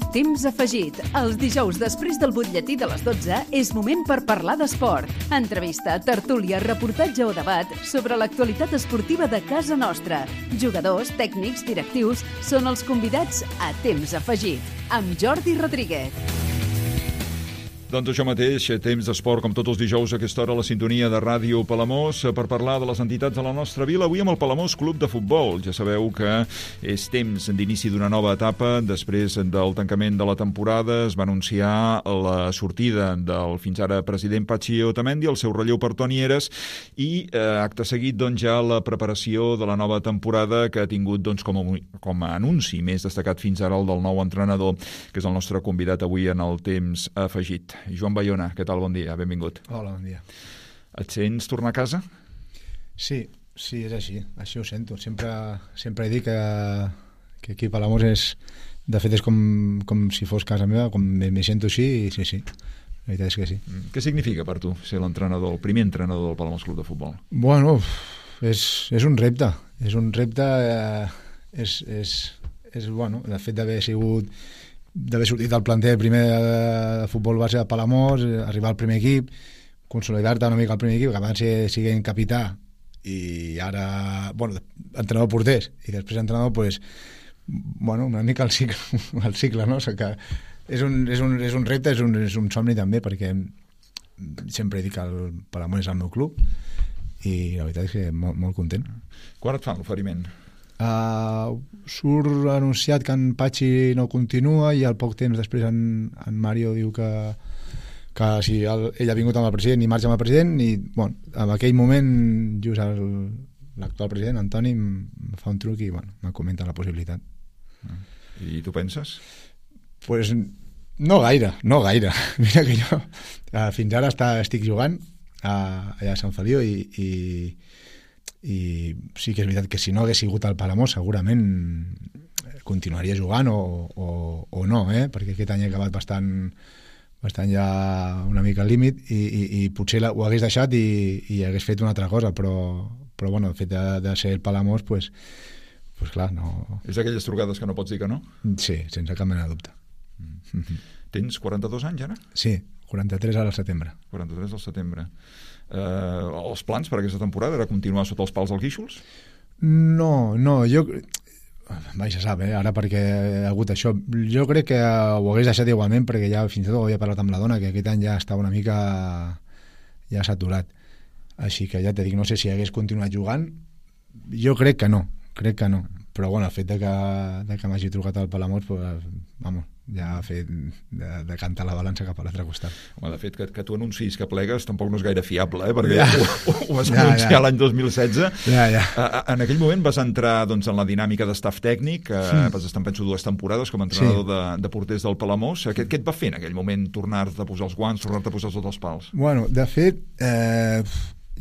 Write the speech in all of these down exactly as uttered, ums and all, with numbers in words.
Temps afegit. Els dijous després del butlletí de les dotze és moment per parlar d'esport. Entrevista, tertúlia, reportatge o debat sobre l'actualitat esportiva de casa nostra. Jugadors, tècnics, directius són els convidats a Temps afegit, amb Jordi Rodríguez. Doncs això mateix, temps d'esport com tots els dijous a aquesta hora a la sintonia de Ràdio Palamós per parlar de les entitats de la nostra vila. Avui amb el Palamós Club de Futbol. Ja sabeu que és temps d'inici d'una nova etapa. Després del tancament de la temporada es va anunciar la sortida del fins ara president Patxi Otamendi, el seu relleu per Toni Heres i eh, acte seguit doncs, ja la preparació de la nova temporada que ha tingut doncs, com, a, com a anunci més destacat fins ara el del nou entrenador, que és el nostre convidat avui en el temps afegit. Joan Bayona, què tal? Bon dia, benvingut. Hola, bon dia. Et sents tornar a casa? Sí, sí, és així, així ho sento. Sempre, sempre he dit que, que aquí a Palamós és, de fet és com, com si fos casa meva, com me, me sento així i sí, sí, la veritat és que sí. Què significa per tu ser l'entrenador, el primer entrenador del Palamós Club de Futbol? Bueno, és, és un repte, és un repte, eh, és, és, és, bueno, de fet d'haver sigut d'haver sortit del planter primer de, de futbol base de Palamós, arribar al primer equip, consolidar-te una mica al primer equip, que abans siguin capità i ara, bueno, entrenador porters i després entrenador, pues, bueno, una mica el cicle, el cicle no? O sigui que és un, és un, és un repte, és un, és un somni també, perquè sempre he dit que el Palamós és el meu club i la veritat és que molt, molt content. Quan et fan l'oferiment? Uh, surt anunciat que en Patxi no continua i al poc temps després en, en Mario diu que, que si el, ell ha vingut amb el president i marxa amb el president i bueno, en aquell moment just el, l'actual president Antoni em fa un truc i bueno, me comenta la possibilitat. I tu penses? Pues no gaire, no gaire. Mira que jo uh, fins ara està, estic jugant uh, allà a Sant Feliu i, i i sí que és veritat que si no hagués sigut al Palamós segurament continuaria jugant o, o, o no, eh? Perquè aquest any he acabat bastant, bastant ja una mica al límit i, i, i potser la, ho hagués deixat i, i hagués fet una altra cosa, però, però bueno, el fet de, de ser el Palamós pues, pues clar, no... És d'aquelles trucades que no pots dir que no? Sí, sense cap mena de dubte. Mm. Tens quaranta-dos anys ara? Sí, quaranta-tres al setembre. quaranta-tres al setembre. Eh, els plans per aquesta temporada era continuar sota els pals del Guíxols? No, no, jo mai se sap, eh, ara perquè ha hagut això, jo crec que ho hagués deixat igualment perquè ja fins i tot ho havia parlat amb la dona que aquest any ja estava una mica ja saturat, així que ja te dic, no sé si hagués continuat jugant, jo crec que no, crec que no, però bueno, el fet de que, de que m'hagi trucat al Palamós pues, vamos, ja ha fet de, de cantar la balança cap a l'altre costat. Home, de fet, que, que tu anuncis que plegues tampoc no és gaire fiable, eh? Perquè ja. ho, ho vas ja, anunciar ja. l'any dos mil setze. Ja, ja. A, en aquell moment vas entrar doncs, en la dinàmica d'estaf tècnic, eh, mm. vas estar, penso, dues temporades com a entrenador sí. de, de porters del Palamós. Què, què et va fer en aquell moment tornar-te a posar els guants, tornar-te a posar sota els pals? Bueno, de fet, eh,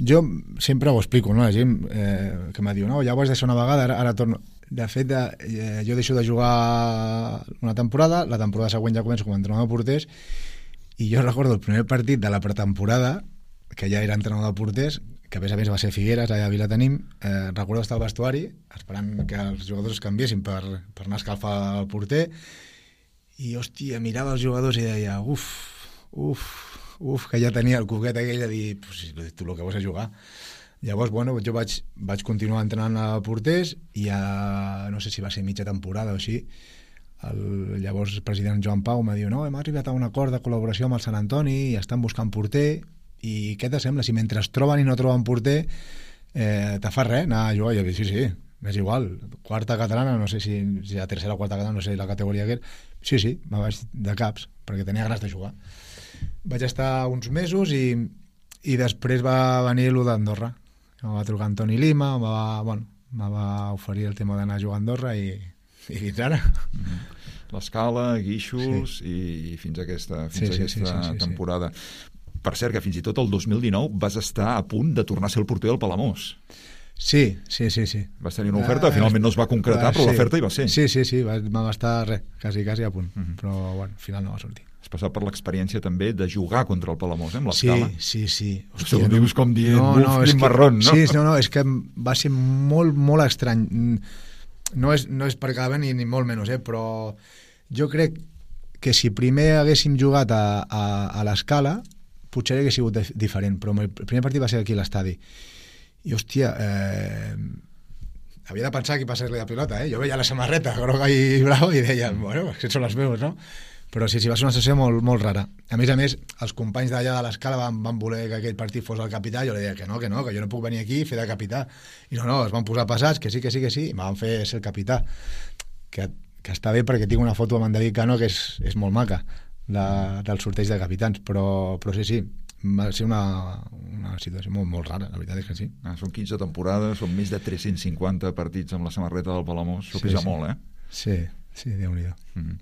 jo sempre ho explico, no? La gent eh, que m'ha dit, no, ja ho vas deixar una vegada, ara, ara torno... De fet, de, eh, jo deixo de jugar una temporada, la temporada següent ja començo com a entrenador de porters i jo recordo el primer partit de la pretemporada, que ja era entrenador de porters, que a més a més va ser Figueres, allà a Vilatenim, eh, recordo estar al vestuari esperant que els jugadors es canviessin per, per anar a escalfar el porter i, hòstia, mirava els jugadors i deia, uf, uf, uf, que ja tenia el coquet aquell de dir, pues, tu el que vols és jugar. Llavors, bueno, jo vaig, vaig continuar entrenant a porters i a, no sé si va ser mitja temporada o així, el llavors president Joan Pau m'ha dit, no, hem arribat a un acord de col·laboració amb el Sant Antoni i estan buscant porter i què te sembla? Si mentre es troben i no troben porter eh, te fa res anar a jugar? I jo dic, sí, sí, és igual, quarta catalana, no sé si, si la tercera o quarta catalana, no sé la categoria que era, sí, sí, me vaig de caps perquè tenia ganes de jugar. Vaig estar uns mesos i, i després va venir l'U d'Andorra. Em va trucar Antoni Lima, em va, bueno, em va oferir el tema d'anar a jugar a Andorra i, i fins ara. Mm-hmm. L'Escala, Guíxols sí. i fins a aquesta, fins sí, a aquesta sí, sí, sí, temporada. Sí. Per cert, que fins i tot el dos mil dinou vas estar a punt de tornar a ser el porter del Palamós. Sí, sí, sí, sí. Vas tenir una oferta, finalment no es va concretar, però sí. l'oferta hi va ser. Sí, sí, sí, va, va estar res, quasi, quasi a punt, mm-hmm. però bueno, al final no va sortir. Has passat per l'experiència també de jugar contra el Palamós, eh, amb l'Escala. Sí, sí, sí. Hòstia, ho dius com dient, no, buf, no, quin que, marrón, no? Sí, no, no, és que va ser molt, molt estrany. No és, no és per cada ni, ni molt menys, eh, però jo crec que si primer haguéssim jugat a, a, a l'Escala potser hagués sigut diferent, però el primer partit va ser aquí a l'estadi i hòstia eh, havia de pensar qui passés-li la pilota, eh? Jo veia la samarreta groga i brava i deia, bueno, aquests són els meus, no? Però sí, sí, va ser una sessió molt, molt rara. A més a més, els companys d'allà de l'Escala van, van voler que aquest partit fos el capità, jo li deia que no, que no, que jo no puc venir aquí i fer de capità. I no, no, es van posar passats, que sí, que sí, que sí, i em van fer ser el capità. Que, que està bé perquè tinc una foto amb en David Cano que és, és molt maca, de, del sorteig de capitans, però, però sí, sí, va ser una, una situació molt, molt rara, la veritat és que sí. Ah, són quinze temporades, són més de tres-cents cinquanta partits amb la samarreta del Palamós, s'ho pesa sí, sí. molt, eh? Sí, sí, Déu-n'hi-do. Mm-hmm.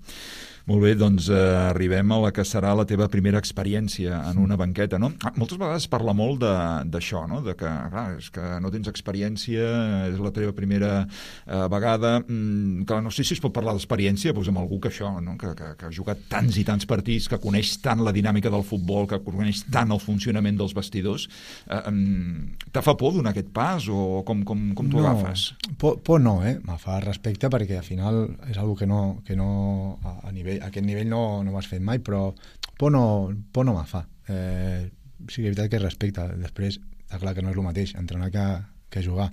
Molt bé, doncs eh, arribem a la que serà la teva primera experiència en una banqueta, no? Ah, moltes vegades es parla molt d'això, no? De que, clar, és que no tens experiència, és la teva primera eh, vegada. Mm, clar, no sé si es pot parlar d'experiència doncs amb algú que això, no? Que, que, que ha jugat tants i tants partits, que coneix tant la dinàmica del futbol, que coneix tant el funcionament dels vestidors. Eh, eh, te fa por donar aquest pas o com, com, com t'ho no, agafes? Por, por no, eh? Me fa respecte perquè al final és algo que no, que no a, a nivell a aquest nivell no, no ho has fet mai, però por no, por no me fa. Eh, sí que és veritat que respecte. Després, està clar que no és el mateix entrenar que, que jugar.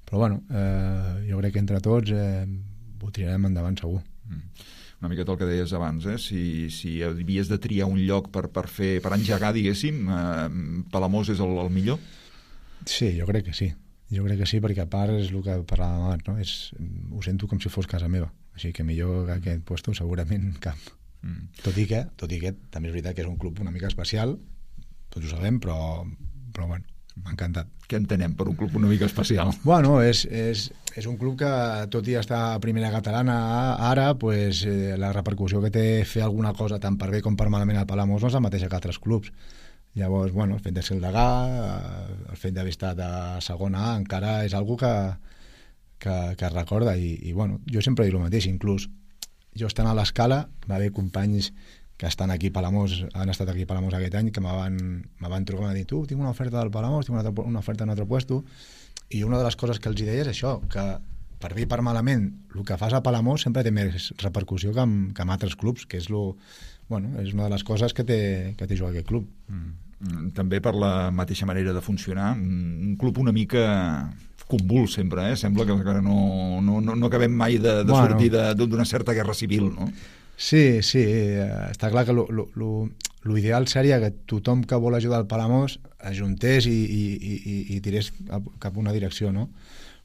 Però bueno, eh, jo crec que entre tots eh, ho tirarem endavant segur. Mm. Una miqueta el que deies abans, eh? si, si havies de triar un lloc per, per, fer, per engegar, diguéssim, eh, Palamós és el, el millor? Sí, jo crec que sí. Jo crec que sí, perquè a part és el que parlàvem abans, no? És, ho sento com si fos casa meva. Així que millor que aquest puesto segurament cap. Mm. Tot i que, tot i que també és veritat que és un club una mica especial, tots ho sabem, però, però bueno, m'ha encantat. Què entenem per un club una mica especial? Bueno, és, és, és un club que, tot i estar a primera catalana ara, pues, eh, la repercussió que té fer alguna cosa tant per bé com per malament al Palamós no és la mateixa que altres clubs. Llavors, bueno, el fet de ser el degà, el fet d'haver estat a segona A, encara és algo que, que, que es recorda i, i bueno, jo sempre dic el mateix, inclús jo estant a l'Escala va haver companys que estan aquí a Palamós, han estat aquí a Palamós aquest any, que me van, me van trucar i m'han dit, tu, tinc una oferta del Palamós, tinc una, altra, una oferta en un altre puesto, i una de les coses que els deia és això, que per bé i per malament, el que fas a Palamós sempre té més repercussió que amb, que amb altres clubs, que és, lo, bueno, és una de les coses que té, que té jugar aquest club. Mm. També per la mateixa manera de funcionar, un club una mica convuls sempre, eh? Sembla que no, no, no acabem mai de, de bueno, sortir d'una certa guerra civil, no? Sí, sí, està clar que lo, lo, lo, lo ideal seria que tothom que vol ajudar al Palamós ajuntés i, i, i, i tirés cap a una direcció, no?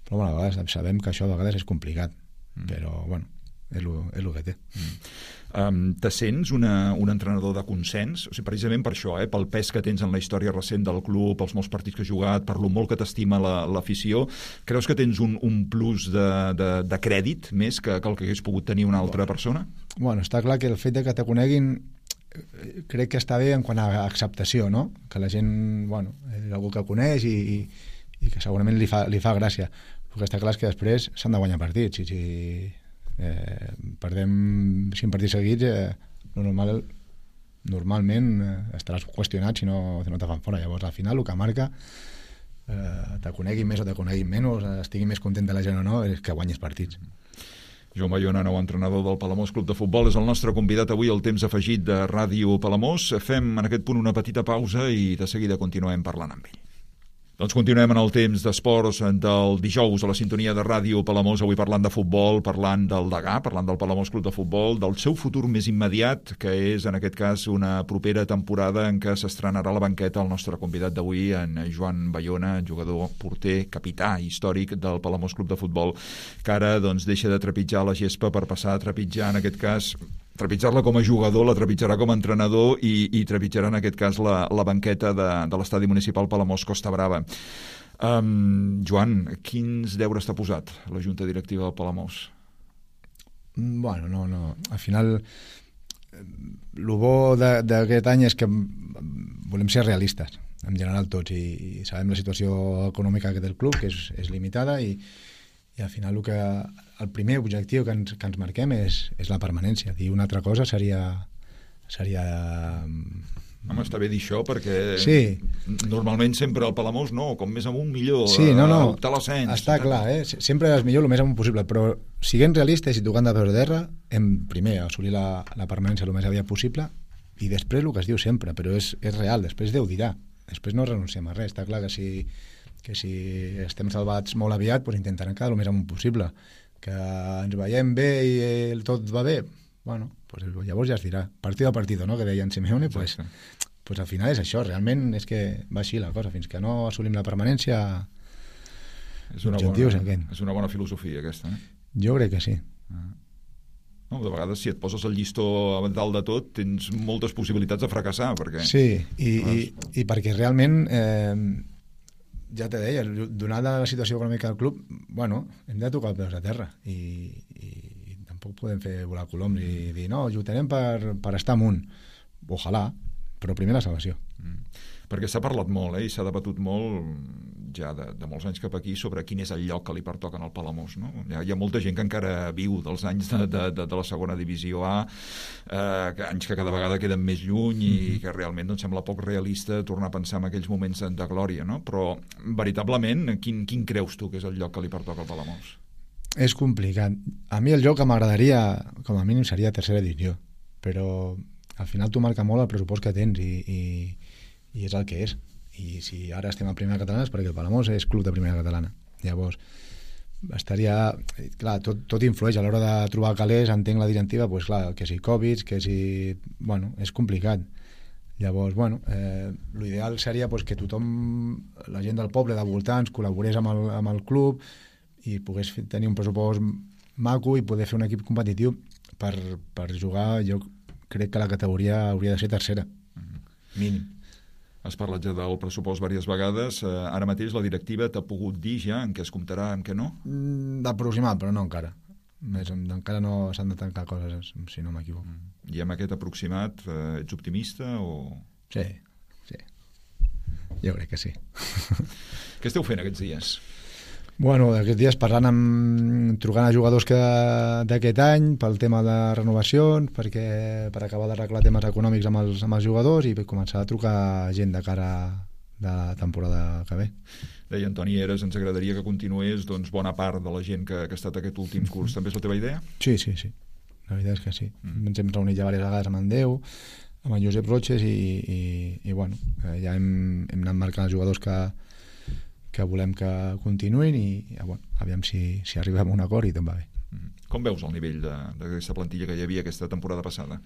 Però bueno, a vegades sabem que això a vegades és complicat, mm. però bueno, és lo, és lo que té. Mm. Um, te sents una, un entrenador de consens? O sigui, precisament per això, eh, pel pes que tens en la història recent del club, pels molts partits que has jugat, per lo molt que t'estima l'afició, la, creus que tens un, un plus de, de, de crèdit més que, que el que hagués pogut tenir una altra bueno. persona? Bueno, està clar que el fet de que te coneguin crec que està bé en quant a acceptació, no? Que la gent, bueno, és algú que coneix i, i, i que segurament li fa, li fa gràcia. El que està clar és que després s'han de guanyar partits i si eh, perdem cinc partits seguits eh, normal, normalment eh, estaràs qüestionat si no, si no te fan fora. Llavors al final el que marca eh, te coneguin més o te coneguin menys, estigui més content de la gent o no, és que guanyis partits. Joan Bayona, nou entrenador del Palamós Club de Futbol, és el nostre convidat avui al Temps Afegit de Ràdio Palamós. Fem en aquest punt una petita pausa i de seguida continuem parlant amb ell. Doncs continuem en el temps d'esports del dijous a la sintonia de Ràdio Palamós, avui parlant de futbol, parlant del degà, parlant del Palamós Club de Futbol, del seu futur més immediat, que és en aquest cas una propera temporada en què s'estrenarà la banqueta el nostre convidat d'avui, en Joan Bayona, jugador, porter, capità històric del Palamós Club de Futbol, que ara doncs, deixa de trepitjar la gespa per passar a trepitjar, en aquest cas, trepitjar-la com a jugador, la trepitjarà com a entrenador i, i trepitjarà en aquest cas la, la banqueta de, de l'estadi municipal Palamós Costa Brava. Um, Joan, quins deures t'ha posat la Junta Directiva del Palamós? Bueno, no, no. Al final, el bo d'aquest any és que volem ser realistes, en general tots, i, i sabem la situació econòmica que té el club, que és, és limitada, i i al final el, que, el primer objectiu que ens, que ens marquem és, és la permanència. I una altra cosa seria, seria Home, està bé dir això perquè sí. normalment sempre el Palamós no, com més amunt millor, sí, no, no. optar a l'ascens. Està clar, eh? Sempre és millor el més amunt possible, però siguent realistes i tocant de peus a terra, hem primer assolir la, la permanència el més aviat possible i després el que es diu sempre, però és, és real, després Déu dirà, després no renunciem a res. Està clar que si, que si estem salvats molt aviat, doncs intentarem quedar el més amunt possible. Que ens veiem bé i el tot va bé, bueno, pues llavors ja es dirà, partido a partido, no?, que deia en Simeone, pues, pues al final és això, realment és que va així la cosa, fins que no assolim la permanència, és una, bona, és una bona filosofia aquesta, eh? Jo crec que sí. Ah. No, de vegades si et poses el llistó a dalt de tot tens moltes possibilitats de fracassar, perquè... Sí, i, i, i perquè realment eh, ja te deia, donada la situació econòmica del club, bueno, hem de tocar els peus a terra i, i podem fer volar coloms i dir no, lluitarem per, per estar amunt, ojalà, però primer la salvació. Mm. Perquè s'ha parlat molt, eh, i s'ha debatut molt ja de, de molts anys cap aquí sobre quin és el lloc que li pertoca al Palamós, no? Hi ha, hi ha molta gent que encara viu dels anys de, de, de, de la segona divisió A, eh, que anys que cada vegada queden més lluny i mm-hmm. que realment doncs, sembla poc realista tornar a pensar en aquells moments de, de glòria, no? Però veritablement, quin, quin creus tu que és el lloc que li pertoca al Palamós? És complicat. A mi el joc que m'agradaria, com a mínim, seria tercera divisió, però al final tu marca molt el pressupost que tens i, i, i és el que és. I si ara estem a primera catalana és perquè el Palamós és club de primera catalana. Llavors, estaria... Clar, tot, tot influeix a l'hora de trobar calés, entenc la directiva, pues, clar, que si Covid, que si... Bueno, és complicat. Llavors, bueno, eh, l'ideal seria pues, que tothom, la gent del poble, de voltants, col·laborés amb el, amb el club i pogués tenir un pressupost maco i poder fer un equip competitiu per, per jugar. Jo crec que la categoria hauria de ser tercera, mm-hmm. mínim. Has parlat ja del pressupost diverses vegades. Eh, ara mateix la directiva t'ha pogut dir ja en què es comptarà, en què no? Mm, d'aproximat, però no encara. Més, encara no s'han de tancar coses, si no m'equivoco. Mm. I amb aquest aproximat eh, ets optimista o...? Sí, sí. Jo crec que sí. Què esteu fent aquests dies? Bueno, aquests dies parlant amb... trucant a jugadors que d'aquest any pel tema de renovacions, perquè per acabar d'arreglar temes econòmics amb els, amb els jugadors i començar a trucar gent de cara de la temporada que ve. Deia Antoni Eres, ens agradaria que continués doncs, bona part de la gent que, que ha estat aquest últim curs. També és la teva idea? Sí, sí, sí. La veritat és que sí. Mm. Ens hem reunit ja diverses vegades amb en Déu, amb en Josep Roches i, i, i bueno, ja hem, hem anat marcant els jugadors que que volem que continuïn i bueno, aviam si, si arribem a un acord i tot va bé. Com veus el nivell d'aquesta plantilla que hi havia aquesta temporada passada?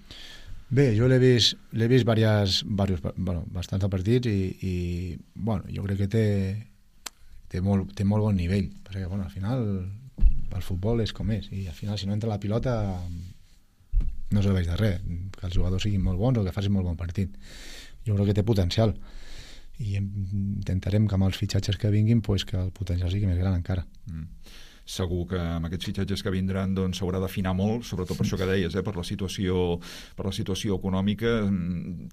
Bé, jo l'he vist, l'he vist diverses, diversos, bueno, bastants partits i, i bueno, jo crec que té, té, molt, té molt bon nivell, perquè bueno, al final el futbol és com és i al final si no entra la pilota no serveix de res, que els jugadors siguin molt bons o que facin molt bon partit. Jo crec que té potencial i intentarem que amb els fitxatges que vinguin pues, que el potencial sigui més gran encara. Mm. Segur que amb aquests fitxatges que vindran doncs, s'haurà d'afinar molt, sobretot per això que deies, eh, per la situació, per la situació econòmica.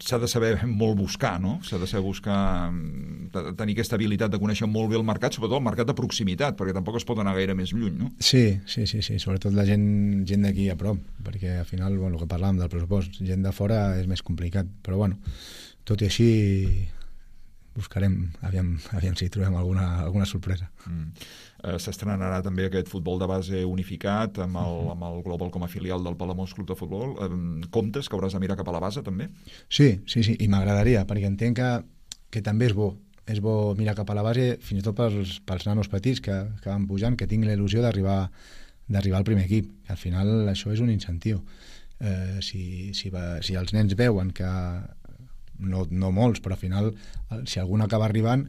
S'ha de saber molt buscar, no? S'ha de saber buscar, tenir aquesta habilitat de conèixer molt bé el mercat, sobretot el mercat de proximitat, perquè tampoc es pot anar gaire més lluny, no? Sí, sí, sí, sí. Sobretot la gent, gent d'aquí a prop, perquè al final, bueno, el que parlàvem del pressupost, gent de fora és més complicat, però bueno, tot i així buscarem, aviam, aviam si trobem alguna, alguna sorpresa. Mm. Eh, s'estrenarà també aquest futbol de base unificat amb el, amb el Global com a filial del Palamós Club de Futbol. Eh, comptes que hauràs de mirar cap a la base també? Sí, sí, sí, i m'agradaria, perquè entenc que, que també és bo. És bo mirar cap a la base, fins i tot pels, pels nanos petits que, que van pujant, que tinguin la il·lusió d'arribar d'arribar al primer equip. Al final això és un incentiu. Eh, si, si, va, si els nens veuen que No, no molts, però al final si algun acaba arribant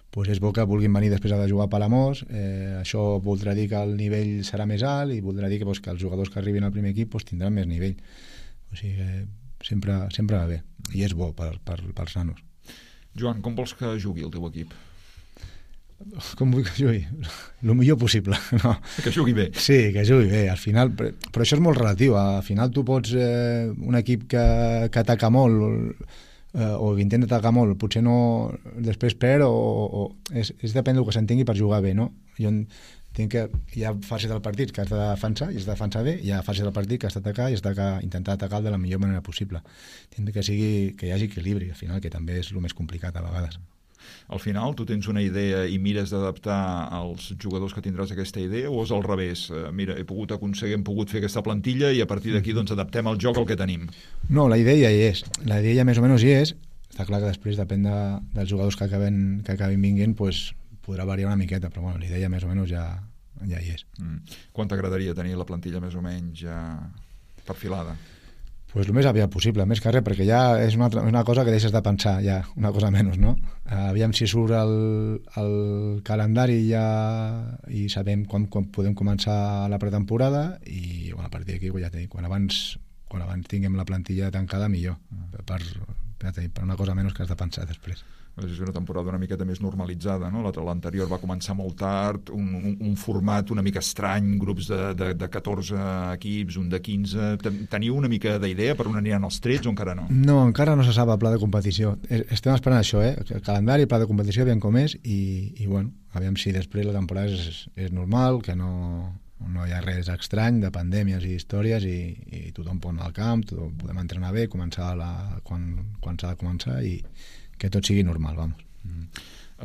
pues és bo que vulguin venir després de jugar a Palamós. Eh, això voldrà dir que el nivell serà més alt i voldrà dir que, pues, que els jugadors que arribin al primer equip pues, tindran més nivell. O sigui que sempre, sempre va bé i és bo per, per, pels nanos. Joan, com vols que jugui el teu equip? Com vull que jugui? El millor possible, no? Que jugui bé. Sí, que jugui bé. Al final, però, però això és molt relatiu. Al final tu pots eh, un equip que, que ataca molt Uh, o que intenta atacar molt, potser no després perd o, o és, és depèn del que s'entengui per jugar bé, no? Jo tinc que, hi ha fases del partit que has de defensar i has de defensar bé, hi ha fases del partit que has d'atacar i has d'intentar atacar de la millor manera possible. Tinc que, sigui, que hi hagi equilibri, al final, que també és el més complicat a vegades. Al final, tu tens una idea i mires d'adaptar als jugadors que tindràs aquesta idea, o és al revés? Eh, mira, he pogut aconseguir, hem pogut fer aquesta plantilla i a partir d'aquí doncs, adaptem el joc al que tenim. No, la idea ja hi és. La idea ja més o menys hi és. Està clar que després, depèn de, dels jugadors que acaben, que acabin vinguent, pues, podrà variar una miqueta, però bueno, la idea ja més o menys ja, ja hi és. Mm. Quan t'agradaria tenir la plantilla més o menys ja perfilada? Pues el més aviat possible, més que res, perquè ja és una, altra, una cosa que deixes de pensar, ja, una cosa menys, no? Uh, aviam si surt el, el calendari ja i sabem quan, quan podem començar la pretemporada i bueno, a partir d'aquí, ja t'he dit, quan abans, quan abans tinguem la plantilla tancada, millor, per, per, per una cosa menys que has de pensar després. És una temporada una miqueta més normalitzada, no? L'anterior va començar molt tard, un, un, un format una mica estrany, grups de, de, de catorze equips, un de quinze... Teniu una mica d'idea per on aniran els trets o encara no? No, encara no se sap el pla de competició. Estem esperant això, eh? El calendari, el pla de competició, aviam com és, i, i bueno, aviam si després la temporada és, és normal, que no, no hi ha res estrany de pandèmies i històries i, i tothom pot anar al camp, tothom podem entrenar bé, començar la, quan, quan s'ha de començar i que tot sigui normal, vamos. Mm.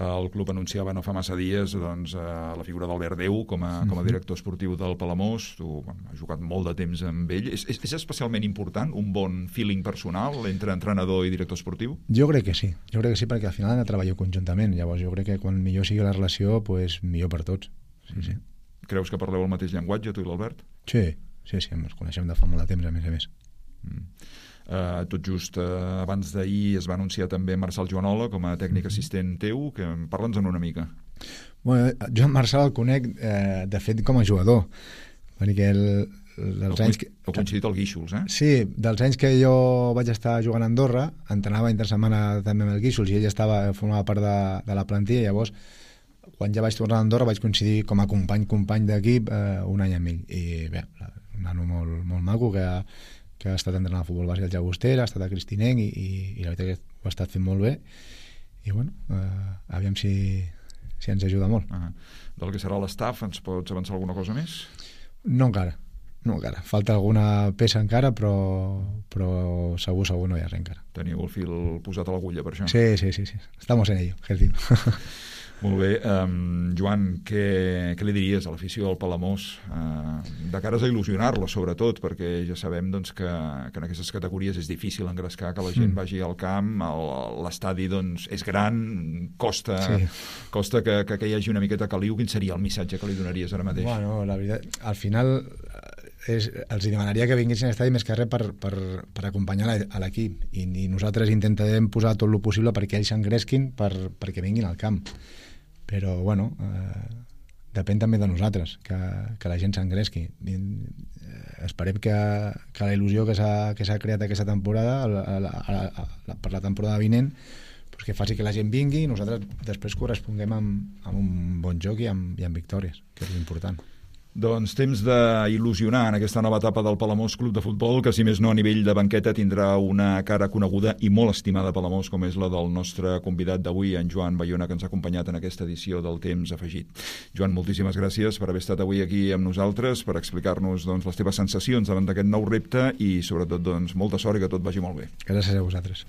El club anunciava no fa massa dies doncs, la figura d'Albert Déu com a, com a director esportiu del Palamós. Tu bueno, has jugat molt de temps amb ell. És, és, és especialment important un bon feeling personal entre entrenador i director esportiu? Jo crec que sí, jo crec que sí, perquè al final han de treballar conjuntament. Llavors jo crec que quan millor sigui la relació, pues, millor per tots. Sí, sí. Creus que parleu el mateix llenguatge, tu i l'Albert? Sí, sí, sí, ens coneixem de fa molt de temps, a més a més. Mm. Uh, tot just uh, abans d'ahir es va anunciar també Marçal Joanola com a tècnic assistent teu, que parla'ns-en una mica. Bueno, jo en Marçal el conec eh, de fet com a jugador, perquè el, dels anys que... Heu coincidit al Guíxols, eh? Sí, dels anys que jo vaig estar jugant a Andorra, entrenava intersetmana també amb el Guíxols i ell estava, formava part de, de la plantilla, llavors quan ja vaig tornar a Andorra vaig coincidir com a company-company d'equip eh, un any amb ell, i bé, un nano molt, molt maco que que ha estat entrenant a futbol base al Llagostera, ha estat a Cristinenc i, i, i la veritat que ho ha estat fent molt bé i bueno, eh, aviam si, si ens ajuda molt. Ah, del que serà l'estaf, ens pots avançar alguna cosa més? No encara, no encara. Falta alguna peça encara, però, però segur, segur no hi ha res encara. Teniu el fil posat a l'agulla per això? Sí, sí, sí, sí. Estamos en ello, Gertí. Molt bé. Um, Joan, què, què li diries a l'afició del Palamós uh, de cares a il·lusionar-lo, sobretot, perquè ja sabem doncs, que, que en aquestes categories és difícil engrescar que la gent mm. vagi al camp, l'estadi doncs, és gran, costa, sí. costa que, que, que hi hagi una miqueta caliu. Quin seria el missatge que li donaries ara mateix? Bueno, la veritat, al final és, els demanaria que vinguessin a l'estadi més que res per, per, per acompanyar a l'equip i, i nosaltres intentarem posar tot el possible perquè ells s'engresquin per, perquè vinguin al camp. Però, bueno, eh, depèn també de nosaltres, que, que la gent s'engresqui. Eh, esperem que, que la il·lusió que s'ha que s'ha creat aquesta temporada, a la, a la, a la, per la temporada vinent, pues que faci que la gent vingui i nosaltres després corresponguem amb, amb un bon joc i amb, i amb victòries, que és l'important. Doncs temps d'il·lusionar en aquesta nova etapa del Palamós Club de Futbol, que si més no a nivell de banqueta tindrà una cara coneguda i molt estimada a Palamós, com és la del nostre convidat d'avui, en Joan Bayona, que ens ha acompanyat en aquesta edició del Temps Afegit. Joan, moltíssimes gràcies per haver estat avui aquí amb nosaltres, per explicar-nos doncs, les teves sensacions davant d'aquest nou repte i sobretot doncs, molta sort i que tot vagi molt bé. Gràcies a vosaltres.